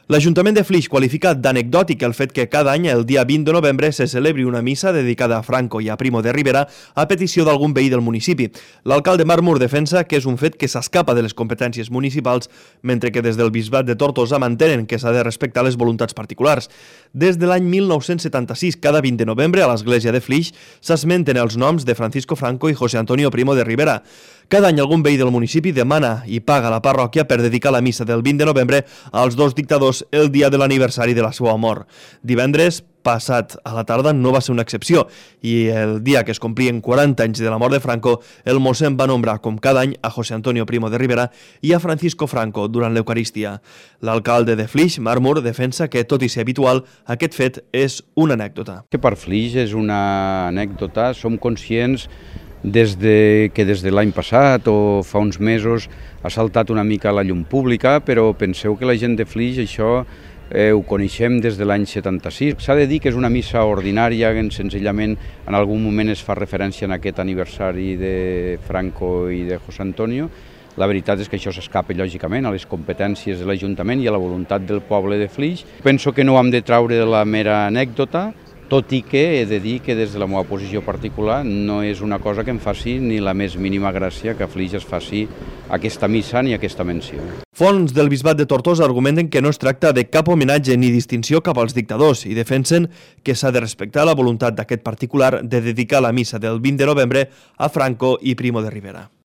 L'Ajuntament de Flix qualifica d'anecdòtic el fet que cada any, el dia 20 de novembre, se celebri una missa dedicada a Franco i a Primo de Rivera a petició d'algun veí del municipi. L'alcalde Marc Mur defensa que és un fet que s'escapa de les competències municipals, mentre que des del Bisbat de Tortosa mantenen que s'ha de respectar les voluntats particulars. Des de l'any 1976, cada 20 de novembre, a l'església de Flix s'esmenten els noms de Francisco Franco i José Antonio Primo de Rivera. Cada any algun veí del municipi demana i paga a la parròquia per dedicar la missa del 20 de novembre als dos dictadors el dia de l'aniversari de la seva mort. Divendres passat a la tarda no va ser una excepció i el dia que es complien 40 anys de la mort de Franco, el mossèn va nombrar com cada any a José Antonio Primo de Rivera i a Francisco Franco durant l'Eucarístia. L'alcalde de Flix, Marc Mur, defensa que, tot i ser habitual, aquest fet és una anècdota. Que per Flix és una anècdota, som conscients des de l'any passat o fa uns mesos ha saltat una mica a la llum pública, però penseu que la gent de Flix això ho coneixem des de l'any 76. S'ha de dir que és una missa ordinària, senzillament en algun moment es fa referència en aquest aniversari de Franco i de José Antonio. La veritat és que això s'escapa, lògicament, a les competències de l'Ajuntament i a la voluntat del poble de Flix. Penso que no ho hem de traure de la mera anècdota, tot i que he de dir que des de la meva posició particular no és una cosa que em faci ni la més mínima gràcia que a Flix es faci aquesta missa ni aquesta menció. Fonts del Bisbat de Tortosa argumenten que no es tracta de cap homenatge ni distinció cap als dictadors i defensen que s'ha de respectar la voluntat d'aquest particular de dedicar la missa del 20 de novembre a Franco i Primo de Rivera.